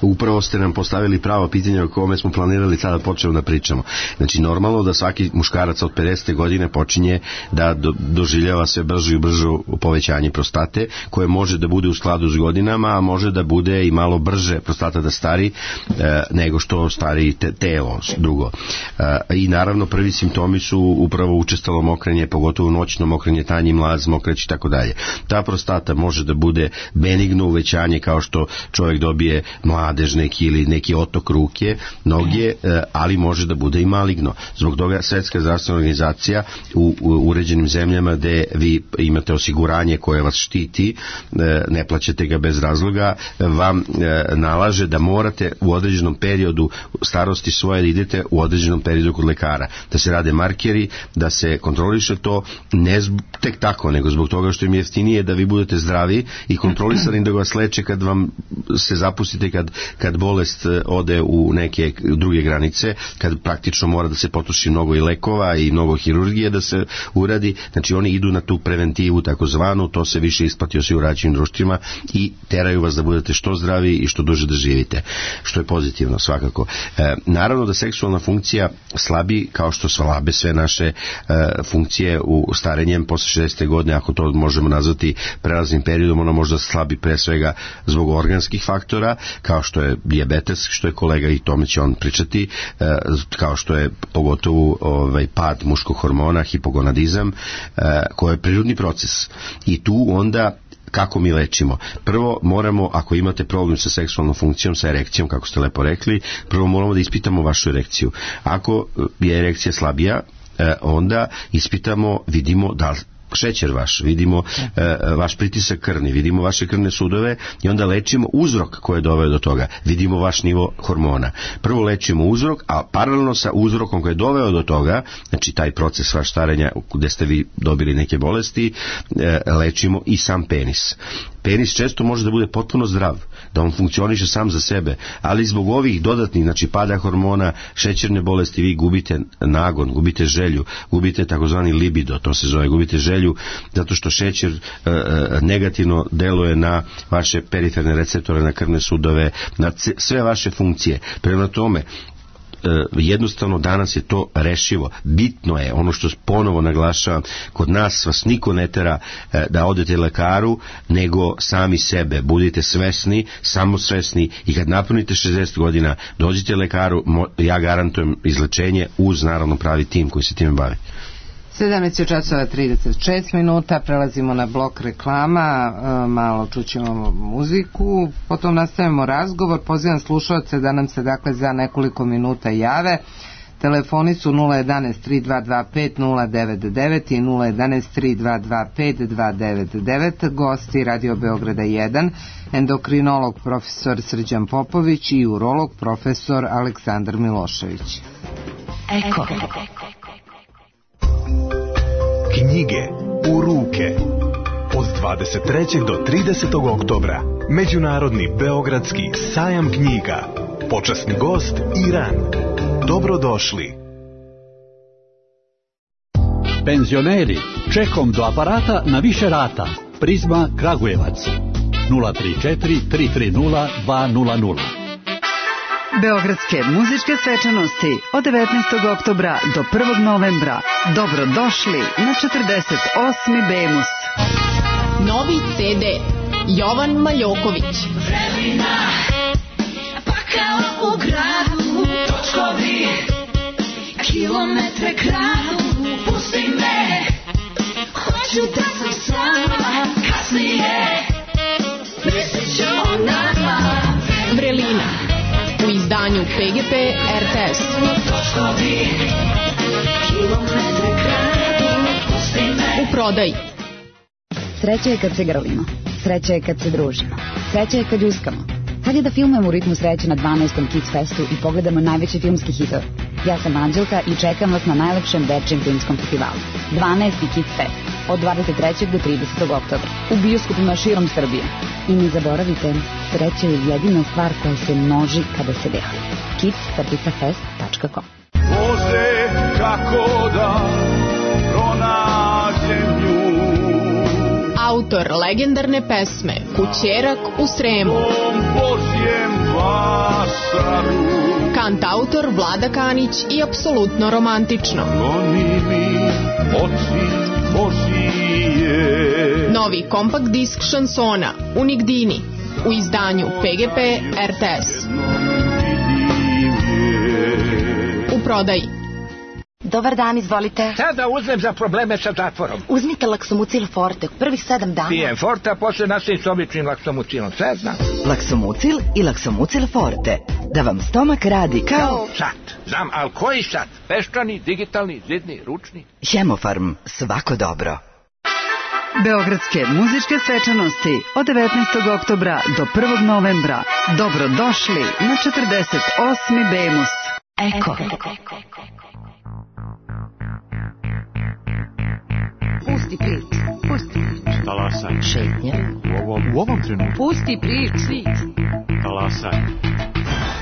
upravo ste nam postavili pravo pitanje o kome smo planirali sada počeo da pričamo. Znači normalno da svaki muškarac od pedesete godine počinje da do, doživljava sve brže i brže povećanje prostate, koje može da bude u skladu s godinama, a može da bude i malo brže prostata da stari e, nego što stari te, telo drugo. E, I naravno prvi simptomi su upravo učestalo mokrenje, pogotovo noćno mokrenje, tanji mlaz, mokreć i tako dalje. Ta prostata može da bude benigno uvećanje kao što čovjek dobije mladež neki ili neki otok ruke, noge, e, ali može da bude i maligno. Zbog toga Svetska zdravstvena organizacija u, u uređenim zemljama gde vi imate osiguranje koje vas štiti, e, ne plaćate ga bez razloga, vam e, nalaže da morate u određenom periodu starosti svoje da idete u određenom periodu kod lekara, da se rade markeri, da se kontroliše to, ne zbog, tek tako, nego zbog toga što im je jeftinije da vi budete zdravi i kontrolisani, da vas leče kad vam se zapustite, kad, kad bolest ode u neke druge granice, kad praktično mora da se potroši mnogo i lekova i mnogo hirurgije da se uradi. Znači oni idu na tu preventivu takozvanu, to se više isplati osiguravajućim društvima i teraju vas da budete što zdravi i što duže da živite, što je pozitivno svakako. E, naravno da seksualna funkcija slabi, kao što slabe sve naše e, funkcije u starenjem posle šezdesete godine, ako to možemo nazvati prelaznim periodom, ona možda slabi pre svega zbog organskih faktora, kao što je dijabetes, što je kolega i tome će on pričati, e, kao što je pogotovo ovaj, pad muškog hormona, hipogonadizam, e, koji je prirodni proces. I tu onda kako mi lečimo? Prvo moramo, ako imate problem sa seksualnom funkcijom, sa erekcijom, kako ste lepo rekli, prvo moramo da ispitamo vašu erekciju. Ako je erekcija slabija, onda ispitamo, vidimo da šećer vaš, vidimo e, vaš pritisak krvni, vidimo vaše krvne sudove i onda lečimo uzrok koji je doveo do toga, vidimo vaš nivo hormona. Prvo lečimo uzrok, a paralelno sa uzrokom koji je doveo do toga, znači taj proces vaš starenja gde ste vi dobili neke bolesti, e, lečimo i sam penis. Penis često može da bude potpuno zdrav, da on funkcioniše sam za sebe, ali zbog ovih dodatnih, znači pada hormona, šećerne bolesti, vi gubite nagon, gubite želju, gubite takozvani libido, to se zove, gubite želju, zato što šećer e, negativno deluje na vaše periferne receptore, na krvne sudove, na sve vaše funkcije. Prema tome, jednostavno danas je to rešivo. Bitno je, ono što ponovo naglašavam, kod nas vas niko ne tera da odete lekaru, nego sami sebe. Budite svesni, samo svesni i kad napunite šezdeset godina, dođite lekaru, ja garantujem izlečenje uz naravno pravi tim koji se time bavi. sedamnaest časova trideset šest minuta, prelazimo na blok reklama, malo čućemo muziku, potom nastavimo razgovor. Pozivam slušalce da nam se dakle za nekoliko minuta jave. Telefoni su nula jedanaest tri dva dva pet nula devet devet i nula jedanaest tri dva dva pet dva devet devet. Gosti Radio Beograda jedan, endokrinolog profesor Srđan Popović i urolog profesor Aleksandar Milošević. Eko. Knjige u ruke. Od dvadeset trećeg do tridesetog oktobra Međunarodni beogradski sajam knjiga. Počasni gost Iran. Dobrodošli. Penzioneri, čekom do aparata na više rata. Prizma Kragujevac. nula tri četiri tri tri nula dva nula nula. Beogradske muzičke svečanosti od devetnaestog oktobra do prvog novembra. Dobrodošli na četrdeset osmi Bemus. Novi ce de Jovan Maljoković. Vremena, pa kao u gradu, točkovi, kilometre kradu, pusti me, hoću da sam sama, kasnije, mislit ću o nama. Vrelina, u izdanju pe ge pe er te es. Točkovi, kilometre kradu, pusti me. U prodaji. Sreća je kad se grlimo, sreća je kad se družimo, sreća je kad ljuskamo. Kad je da filmujemo u ritmu sreće na dvanaestom Kids Festu i pogledamo najveći filmski hitove. Ja sam Anđelka i čekam vas na najlepšem većem filmskom festivalu. dvanaesti Kids Fest, od dvadeset trećeg do tridesetog oktobra, u bioskopima širom Srbije. I ne zaboravite, sreća je jedina stvar koja se množi kada se deli. kids fest tačka com. Može kako da pronađem nju. autor legendarne pesme Kućerak u Sremu. Kantautor Vlada Kanić i apsolutno romantično. Novi kompakt disk šansona Unigdini u izdanju P G P R T S. U prodaji. Dobar dan, izvolite. Šta da uzmem za probleme sa zatvorom? Uzmite Laksomucil Forte, prvih sedam dana. Pijem Forte, a posle nastavim s običnim Laksomucilom, sve znam. Laksomucil i Laksomucil Forte, da vam stomak radi kao... Sat, znam, ali koji sat? Peščani, digitalni, zidni, ručni? Hemofarm, svako dobro. Beogradske muzičke svečanosti od devetnaestog oktobra do prvog novembra. Dobrodošli na četrdeset osmi Bemus. Eko. Pusti prič, pusti prič. Talasaj. Šetnja. U ovom, u ovom trenutku. Pusti prič. Talasaj.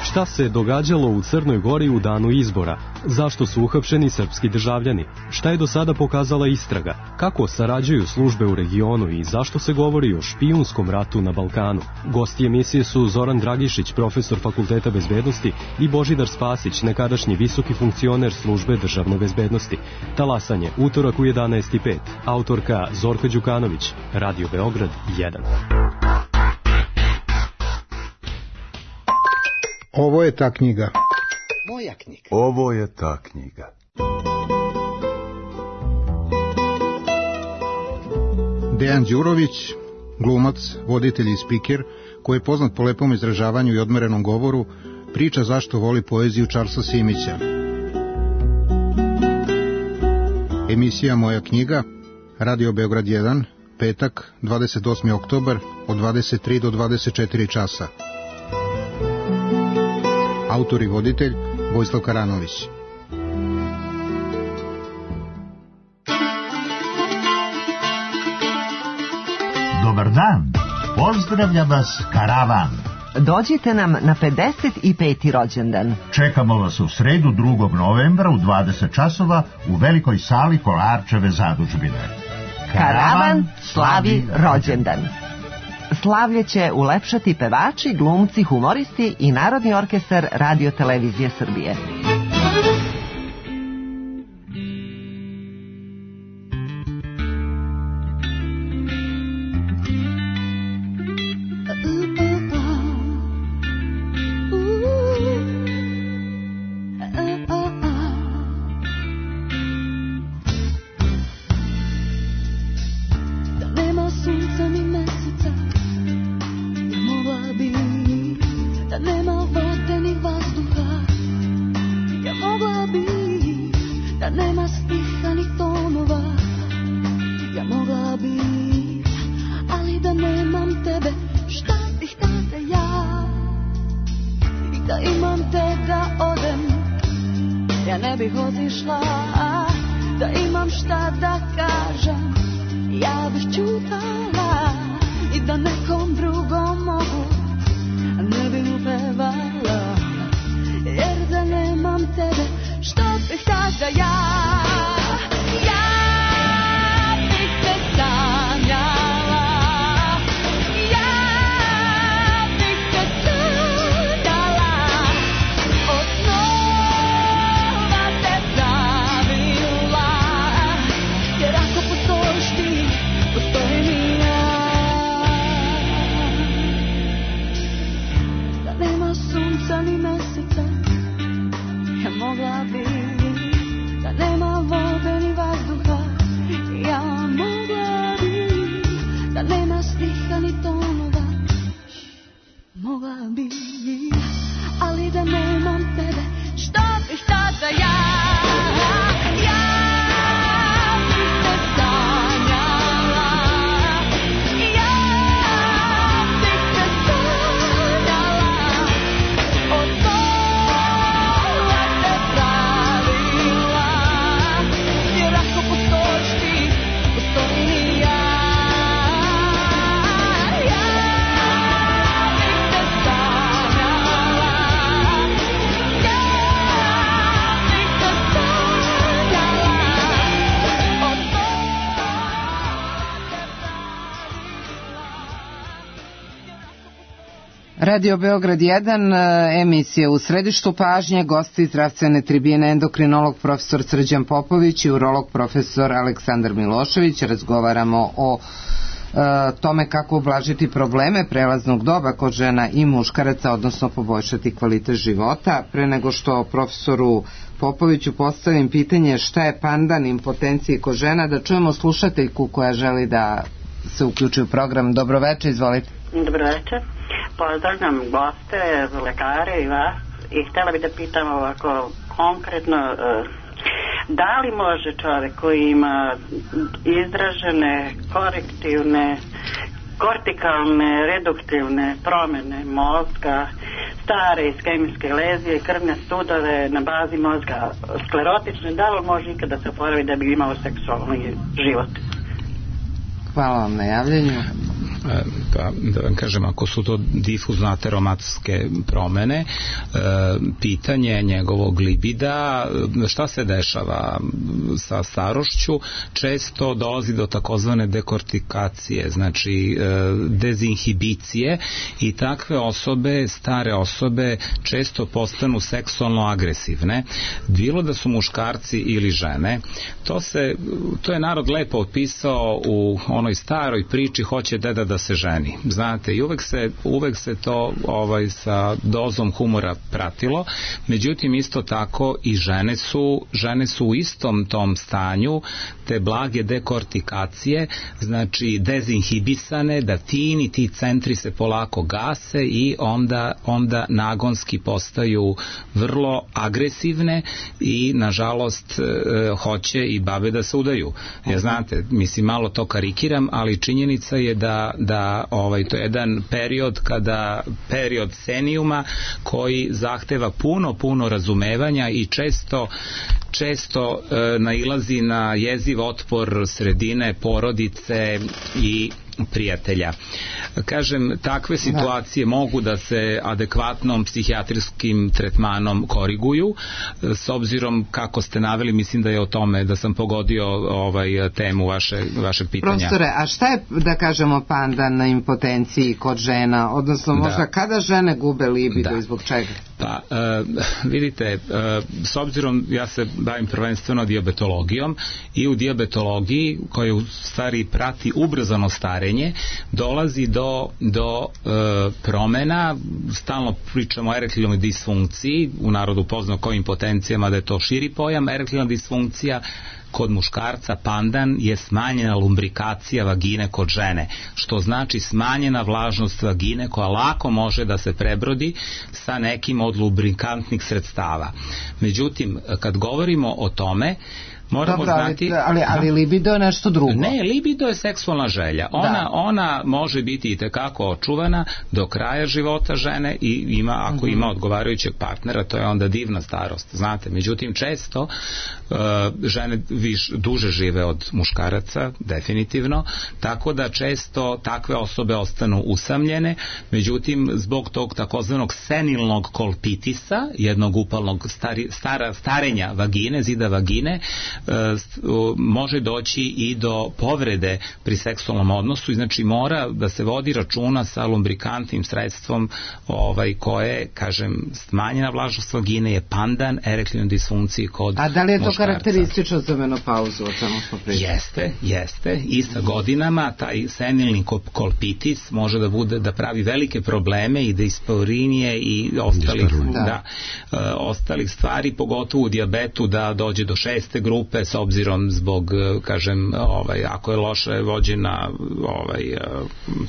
Šta se događalo u Crnoj Gori u danu izbora? Zašto su uhapšeni srpski državljani? Šta je do sada pokazala istraga? Kako sarađuju službe u regionu i zašto se govori o špijunskom ratu na Balkanu? Gosti emisije su Zoran Dragišić, profesor Fakulteta bezbednosti, i Božidar Spasić, nekadašnji visoki funkcioner službe državne bezbednosti. Talasanje, utorak u jedanaest i pet. Autorka Zorka Đukanović, Radio Beograd jedan. Ovo je ta knjiga. Moja knjiga. Ovo je ta knjiga. Dejan Đurović, glumac, voditelj i spiker, koji je poznat po lepom izražavanju i odmerenom govoru, priča zašto voli poeziju Charlesa Simića. Emisija Moja knjiga, Radio Beograd jedan, petak, dvadeset osmi oktobar, od dvadeset tri do dvadeset četiri časa. Autor i voditelj Vojislav Karanović. Dobar dan, pozdravlja vas Karavan. Dođite nam na pedeset peti rođendan. Čekamo vas u sredu drugog novembra u dvadeset časova u velikoj sali Kolarčeve zadužbine. Karavan slavi rođendan. Slavlje će ulepšati pevači, glumci, humoristi i Narodni orkestar Radio Televizije Srbije. Nema su Radio Beograd jedan, emisija U središtu pažnje, gosti zdravstvene tribine, endokrinolog profesor Srđan Popović i urolog profesor Aleksandar Milošević. Razgovaramo o e, tome kako ublažiti probleme prelaznog doba kod žena i muškaraca, odnosno poboljšati kvalitet života. Pre nego što profesoru Popoviću postavim pitanje šta je pandan impotencije kod žena, da čujemo slušateljku koja želi da se uključi u program. Dobroveče, izvolite. Dobroveče. Pozdravljam goste, lekare i vas i htjela bih da pitam ovako konkretno, da li može čovjek koji ima izražene korektivne, kortikalne, reduktivne promjene mozga, stare iskemijske lezije, krvne sudove na bazi mozga sklerotične, da li može ikada se oporavi da bi imao seksualni život? Hvala vam na javljenju. Pa, da vam kažem, ako su to difuzno ateromatske promene, e, pitanje njegovog libida, šta se dešava sa starošću, često dolazi do takozvane dekortikacije, znači e, dezinhibicije, i takve osobe, stare osobe, često postanu seksualno agresivne, bilo da su muškarci ili žene. To se, to je narod lepo opisao u onoj staroj priči hoće deda da se ženi, znate, i uvek se, uvek se to ovaj, sa dozom humora pratilo, međutim isto tako i žene su, žene su u istom tom stanju te blage dekortikacije, znači dezinhibisane, da ti ti centri se polako gase i onda, onda nagonski postaju vrlo agresivne i nažalost e, hoće i babe da se udaju. Ja, znate, mislim, malo to karikiram, ali činjenica je da, da ovaj, to je jedan period kada, period senijuma koji zahteva puno, puno razumevanja i često često e, nailazi na jeziv otpor sredine, porodice i prijatelja. Kažem, takve situacije da. mogu da se adekvatnom psihijatrijskim tretmanom koriguju, s obzirom kako ste naveli, mislim da je o tome, da sam pogodio ovaj temu vaše, vašeg pitanja. Profesore, a šta je, da kažemo, pandan na impotenciji kod žena, odnosno možda da. kada žene gube libido da. i zbog čega? Pa, e, vidite, e, s obzirom, ja se bavim prvenstveno dijabetologijom i u dijabetologiji, koja u stvari prati ubrzano starenje, dolazi do, do e, promena, stalno pričamo o erektilnoj disfunkciji, u narodu poznao kao impotencijama, da je to širi pojam. Erektilna disfunkcija kod muškarca, pandan, je smanjena lumbrikacija vagine kod žene, što znači smanjena vlažnost vagine koja lako može da se prebrodi sa nekim od lubrikantnih sredstava. Međutim, kad govorimo o tome, moramo Dobro, znati... ali, ali libido je nešto drugo. Ne, libido je seksualna želja. Ona, da. ona može biti i tekako očuvana do kraja života žene i ima, ako uh-huh. ima odgovarajućeg partnera, to je onda divna starost, znate. Međutim, često uh, žene viš, duže žive od muškaraca, definitivno, tako da često takve osobe ostanu usamljene. Međutim, zbog tog takozvanog senilnog kolpitisa, jednog upalnog stari, stara, starenja vagine, zida vagine, može doći i do povrede pri seksualnom odnosu, i znači mora da se vodi računa sa lumbrikantnim sredstvom ovaj, koje, kažem, smanjena vlažnost vagine je pandan erektilnoj disfunkciji kod muškarca. A da li je to muškarca karakteristično za menopauzu, o čemu smo pričali? Jeste, jeste, i sa godinama taj senilni kolpitis može da bude, da pravi velike probleme i dispaurinije i ostalih, da. Da, uh, ostalih stvari, pogotovo u dijabetu, da dođe do šeste grupe, s obzirom zbog, kažem, ovaj, ako je loše vođena ovaj,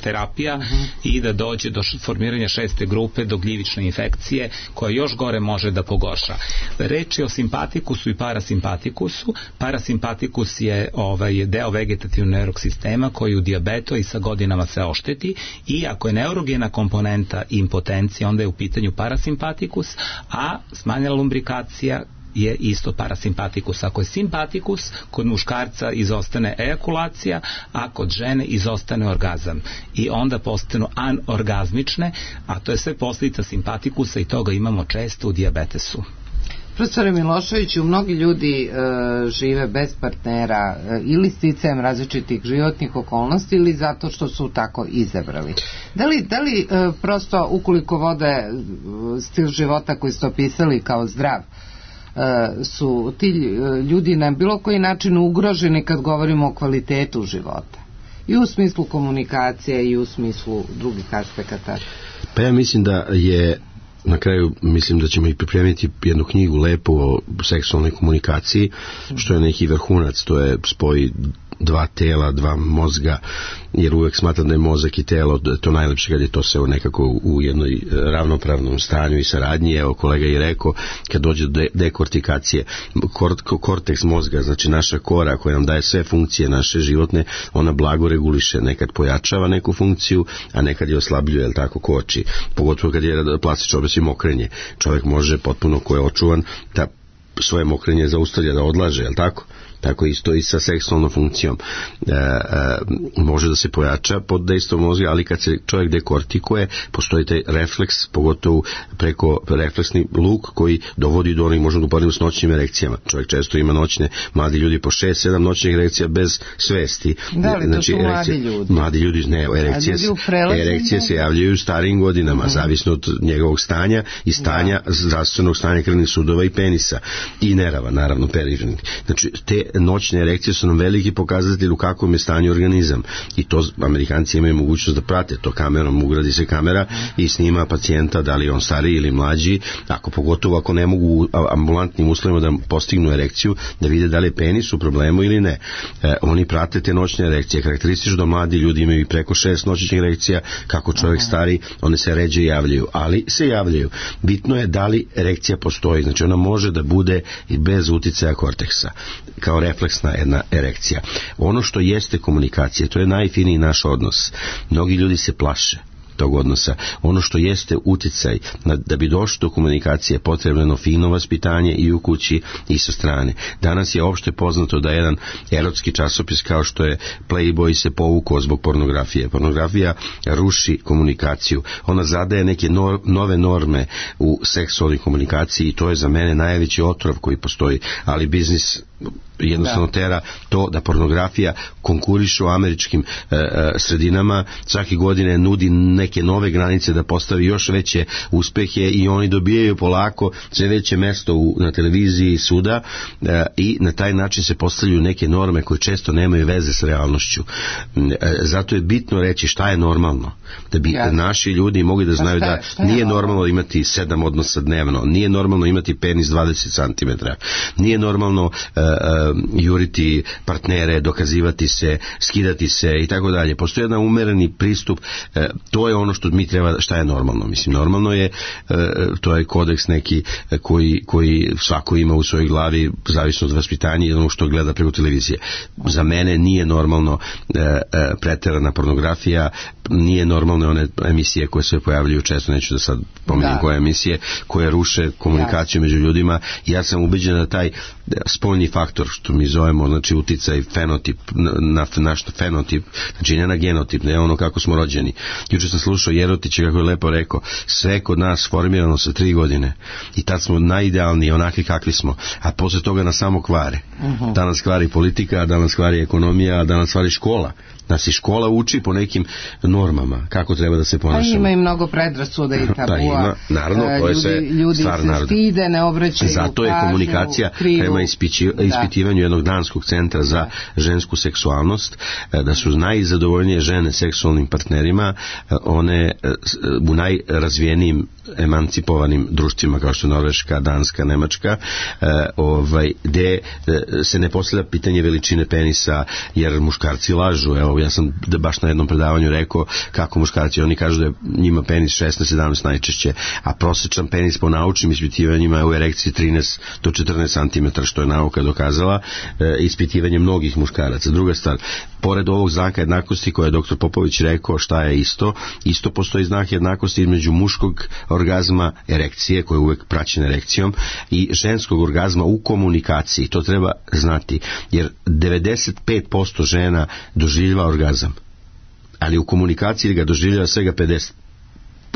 terapija, uh-huh. i da dođe do formiranja šeste grupe, do gljivične infekcije, koja još gore može da pogorša. Reč je o simpatikusu i parasimpatikusu. Parasimpatikus je ovaj, deo vegetativnog nervnog sistema koji u dijabetu i sa godinama se ošteti, i ako je neurogena komponenta impotencija, onda je u pitanju parasimpatikus, a smanjena lumbrikacija je isto parasimpatikus. Ako je simpatikus, kod muškarca izostane ejakulacija, a kod žene izostane orgazam. I onda postanu anorgazmične, a to je sve posljedica simpatikusa i toga imamo često u dijabetesu. Profesore Miloševiću, mnogi ljudi e, žive bez partnera e, ili sticajem različitih životnih okolnosti ili zato što su tako izabrali. Da li, da li e, prosto ukoliko vode stil života koji ste opisali kao zdrav, e, su ti ljudi na bilo koji način ugroženi kad govorimo o kvalitetu života? I u smislu komunikacije i u smislu drugih aspekata. Pa ja mislim da je na kraju, mislim da ćemo i pripremiti jednu knjigu lepo o seksualnoj komunikaciji, što je neki vrhunac, to je spoj dva tela, dva mozga, jer uvek smatram da je mozak i telo to najlepše kad je to sve nekako u jednoj ravnopravnom stanju i saradnji. Evo kolega je rekao, kad dođe do dekortikacije, kort, korteks mozga, znači naša kora koja nam daje sve funkcije naše životne, ona blago reguliše, nekad pojačava neku funkciju, a nekad je oslabljuje, jel tako, koči, pogotovo kad je plastično obraz i mokrenje. Čovjek može potpuno, ko je očuvan, da svoje mokrenje zaustavlja, da odlaže, jel tako? Tako isto i sa seksualnom funkcijom. E, e, može da se pojača pod dejstvom mozga, ali kad se čovjek dekortikuje, postoji taj refleks, pogotovo preko refleksni luk koji dovodi do onih, možemo da uporedimo s noćnim erekcijama. Čovjek često ima noćne, mladi ljudi po šest sedam noćnih erekcija bez svesti. Da li, znači, to su mladi ljudi? Mladi ljudi, ne, erekcije, erekcije se javljaju u starijim godinama, uh-huh. zavisno od njegovog stanja i stanja, da. zdravstvenog stanja krvnih sudova i penisa. I nerava, naravno, periferni. Znači, te noćne erekcije su nam veliki pokazatelj u kakvom je stanju organizam i to Amerikanci imaju mogućnost da prate to kamerom, ugradi se kamera i snima pacijenta, da li je on stariji ili mlađi, ako pogotovo ako ne mogu u ambulantnim uslovima da postignu erekciju, da vide da li je penis u problemu ili ne. E, oni prate te noćne erekcije. Karakteristično da mladi ljudi imaju i preko šest noćnih erekcija, kako čovjek stari, one se ređe javljaju, ali se javljaju. Bitno je da li erekcija postoji, znači ona može da bude i bez uticaja korteksa, kao refleksna jedna erekcija. Ono što jeste komunikacija, to je najfiniji naš odnos. Mnogi ljudi se plaše tog odnosa. Ono što jeste uticaj, da bi došlo do komunikacije, potrebno fino vaspitanje i u kući i sa strane. Danas je opšte poznato da jedan erotski časopis kao što je Playboy se povukao zbog pornografije. Pornografija ruši komunikaciju. Ona zadaje neke no, nove norme u seksualnoj komunikaciji i to je za mene najveći otrov koji postoji, ali biznis jednostavno tera to da pornografija konkuriše u američkim e, e, sredinama, svake godine nudi neke nove granice da postavi još veće uspehe i oni dobijaju polako sve veće mesto u, na televiziji suda e, i na taj način se postavljaju neke norme koje često nemaju veze s realnošću. E, zato je bitno reći šta je normalno, da bi ja. naši ljudi mogli da znaju šta je, šta je da nije normalno? normalno imati sedam odnosa dnevno, nije normalno imati penis dvadeset centimetara, nije normalno e, e, juriti partnere, dokazivati se, skidati se i tako dalje. Postoji jedan umereni pristup, e, to je ono što mi treba, šta je normalno. Mislim, normalno je, e, to je kodeks neki koji, koji svako ima u svojoj glavi, zavisno od vaspitanja i ono što gleda preko televizije. Za mene nije normalno e, e, preterana pornografija, nije normalno one emisije koje se pojavljaju često, neću da sad pomenem da. koje emisije, koje ruše komunikaciju ja. među ljudima. Ja sam ubeđen da taj spoljni faktor, što mi zovemo, znači uticaj fenotip, na naš fenotip, znači ne na genotip, ne ono kako smo rođeni. Juče sam slušao Jerotića kako je lepo rekao, sve kod nas formirano sa tri godine i tad smo najidealniji, onakvi kakvi smo, a posle toga nas samo kvare. Uh-huh. Danas kvari politika, danas kvari ekonomija, danas kvari škola. Nas i škola uči po nekim normama kako treba da se ponašamo. Pa ima i mnogo predrasuda i tabua. Pa ima, naravno, to je sve ljudi stvar se stide, ne obraćaju Zato pažnju, je komunikacija prema ispići, ispitivanju jednog danskog centra za žensku seksualnost, da su najzadovoljnije žene seksualnim partnerima, one u najrazvijenijim emancipovanim društvima kao što je Norveška, Danska, Nemačka, ovaj, gde se ne postavlja pitanje veličine penisa, jer muškarci lažu. Evo, ja sam baš na jednom predavanju rekao kako muškarci, oni kažu da je njima penis šesnaest sedamnaest najčešće, a prosječan penis po naučnim ispitivanjima je u erekciji trinaest do četrnaest centimetara, što je nauka dokazala, e, ispitivanje mnogih muškaraca. Druga stvar, pored ovog znaka jednakosti koje je doktor Popović rekao šta je isto, isto postoji znak jednakosti između muškog orgazma, erekcije, koja je uvek praćena erekcijom, i ženskog orgazma u komunikaciji. To treba znati, jer devedeset pet posto žena doživljava orgazam, ali u komunikaciji ga doživljava svega pedeset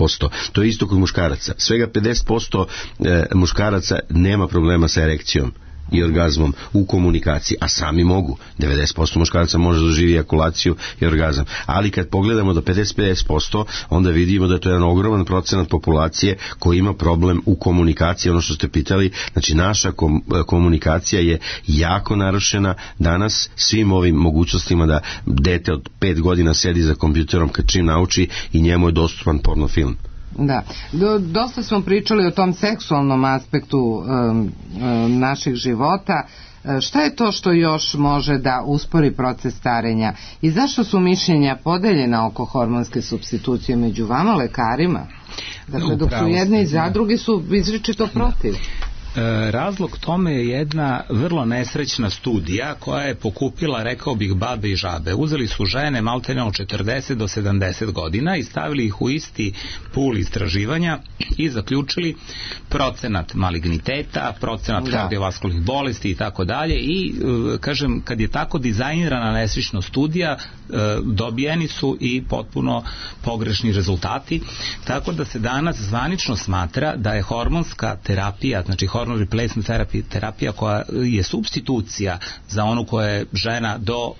posto. To je isto kod muškaraca. Svega pedeset posto e, muškaraca nema problema sa erekcijom i orgazmom u komunikaciji, a sami mogu. devedeset posto muškaraca može da doživi ejakulaciju i orgazam. Ali kad pogledamo do pedeset do pedeset posto, onda vidimo da to je jedan ogroman procenat populacije koji ima problem u komunikaciji, ono što ste pitali, znači naša kom, komunikacija je jako narušena danas svim ovim mogućnostima da dete od pet godina sedi za kompjuterom kad čim nauči i njemu je dostupan porno film. Da, Do, dosta smo pričali o tom seksualnom aspektu um, um, naših života. E, šta je to što još može da uspori proces starenja i zašto su mišljenja podeljena oko hormonske supstitucije među vama, lekarima? Dakle, dok su jedne i zadruge su izričito protiv. Razlog tome je jedna vrlo nesrećna studija koja je pokupila, rekao bih, babe i žabe. Uzeli su žene maltene od četrdeset do sedamdeset godina i stavili ih u isti pul istraživanja i zaključili procenat maligniteta, procenat kardiovaskularnih bolesti i tako dalje i kažem, kad je tako dizajnirana nesrećna studija, dobijeni su i potpuno pogrešni rezultati, tako da se danas zvanično smatra da je hormonska terapija, znači hormonska hormone replacement therapy, terapija koja je supstitucija za onu koja je žena do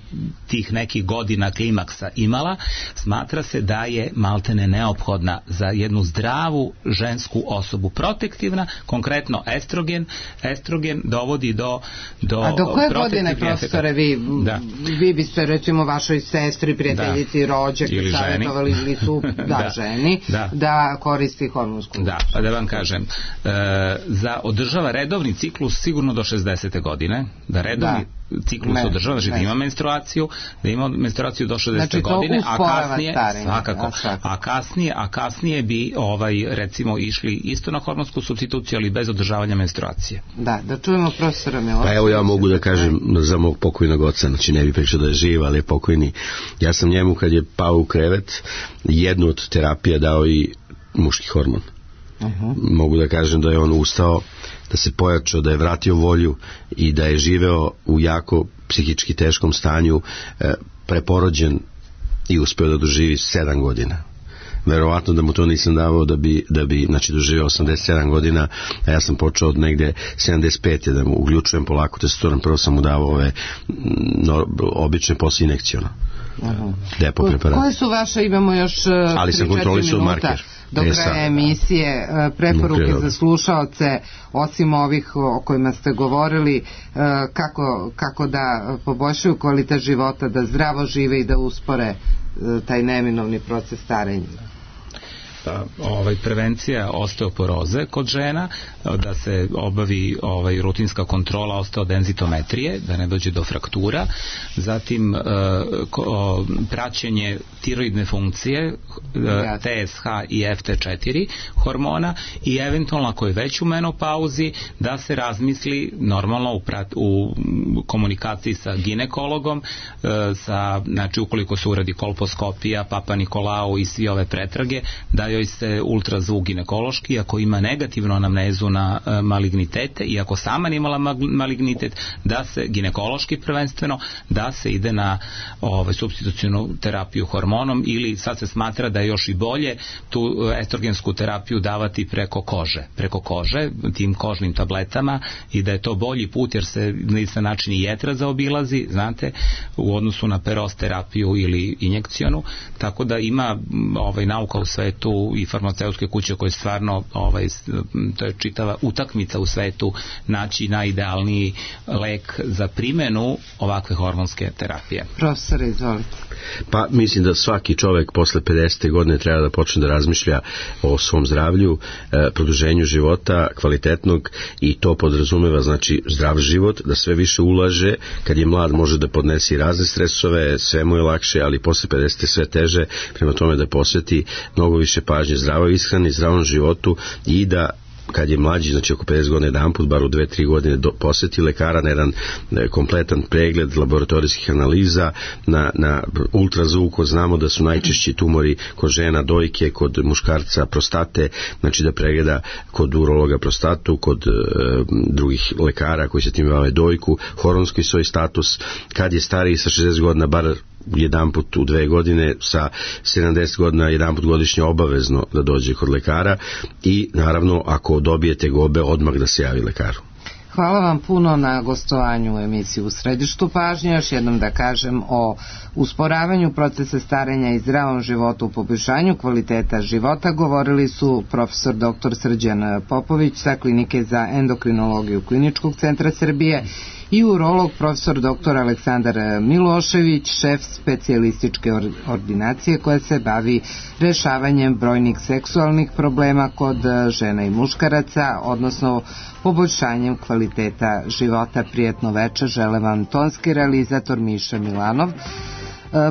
tih nekih godina klimaksa imala, smatra se da je maltene neophodna za jednu zdravu žensku osobu. Protektivna, konkretno estrogen, estrogen dovodi do, do A do koje godine, profesore, vi, da. vi biste recimo vašoj sestri, prijateljici, da. rođaci savjetovali ili su da, da. ženi da. da koristi hormonsku? Da, pa da vam kažem, e, za održava redovni ciklus sigurno do šezdesete godine, da redovni da. ciklus ne, održava, znači da ima menstruaciju, da ima menstruaciju do šezdesete znači, godine, a kasnije, starenje, svakako, a, a kasnije, a kasnije bi ovaj recimo išli isto na hormonsku supstituciju, ali bez održavanja menstruacije. Da, da čujemo profesora Miloša. Pa evo ja mogu da kažem za mog pokojnog oca, znači ne bi pričao da je živ, ali je pokojni. Ja sam njemu kad je pao u krevet, jednu od terapija dao i muški hormon. Uh-huh. Mogu da kažem da je on ustao, da se pojačao, da je vratio volju i da je živeo u jako psihički teškom stanju, e, preporođen i uspeo da doživi sedam godina. Verovatno da mu to nisam davao da bi, da bi znači, doživio osamdeset sedam godina, a ja sam počeo od negde sedamdeset pete da mu uključujem polako testosteron, prvo sam mu davao ove no, obične posle injekcijona. Uh-huh. Depo preparat. Koje su vaše, imamo još ali sam kontrolisao marker do kraja emisije, preporuke za slušaoce, osim ovih o kojima ste govorili, kako, kako da poboljšaju kvalitet života, da zdravo žive i da uspore taj neminovni proces starenja? Pa, ovaj, prevencija osteoporoze kod žena, da se obavi ovaj, rutinska kontrola osteodenzitometrije, da ne dođe do fraktura, zatim e, ko, praćenje tiroidne funkcije, e, T S H i F T četiri hormona i eventualno ako je već u menopauzi da se razmisli normalno u, prat, u komunikaciji sa ginekologom, e, sa, znači ukoliko se uradi kolposkopija, Papa Nikolao i svi ove pretrage, da joj se ultrazvuk ginekološki, ako ima negativnu anamnezu na e, malignitete i ako sama nije imala malignitet, da se ginekološki prvenstveno, da se ide na ovaj, supstitucijnu terapiju hormonom ili sad se smatra da je još i bolje tu estrogensku terapiju davati preko kože, preko kože, tim kožnim tabletama i da je to bolji put jer se na isti način i jetra zaobilazi, znate, u odnosu na peros terapiju ili injekcijonu, tako da ima ovaj, nauka u svetu i farmaceutske kuće koje stvarno ovaj, to je čitava utakmica u svetu naći najidealniji lek za primenu ovakve hormonske terapije. Profesor, izvolite. Pa mislim da svaki čovek posle pedesete godine treba da počne da razmišlja o svom zdravlju, e, produženju života kvalitetnog i to podrazumeva znači zdrav život, da sve više ulaže, kad je mlad može da podnesi razne stresove, sve mu je lakše, ali posle pedesete sve teže, prema tome da posveti mnogo više pažnje zdravoj ishrani, zdravom životu i da kad je mlađi, znači oko pedeset godina jedan put, bar u dve tri godine do, posjeti lekara na jedan ne, kompletan pregled laboratorijskih analiza, na, na ultrazvuku, znamo da su najčešći tumori kod žena dojke, kod muškarca prostate, znači da pregleda kod urologa prostatu, kod e, drugih lekara koji se tim bave dojku, hormonski svoj status, kad je stariji sa šezdeset godina, bar jedan put u dve godine, sa sedamdeset godina jedan put godišnje obavezno da dođe kod lekara i naravno ako dobije tegobe odmah da se javi lekaru. Hvala vam puno na gostovanju u emisiji U središtu pažnje. Još jednom da kažem o usporavanju procesa starenja i zdravom životu u poboljšanju kvaliteta života govorili su profesor doktor Srđan Popović sa Klinike za endokrinologiju Kliničkog centra Srbije i urolog profesor doktor Aleksandar Milošević, šef specijalističke ordinacije koja se bavi rešavanjem brojnih seksualnih problema kod žena i muškaraca, odnosno poboljšanjem kvaliteta života. Prijetno večer žele vam tonski realizator Miša Milanov,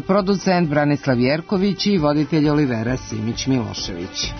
producent Branislav Jerković i voditelj Olivera Simić Milošević.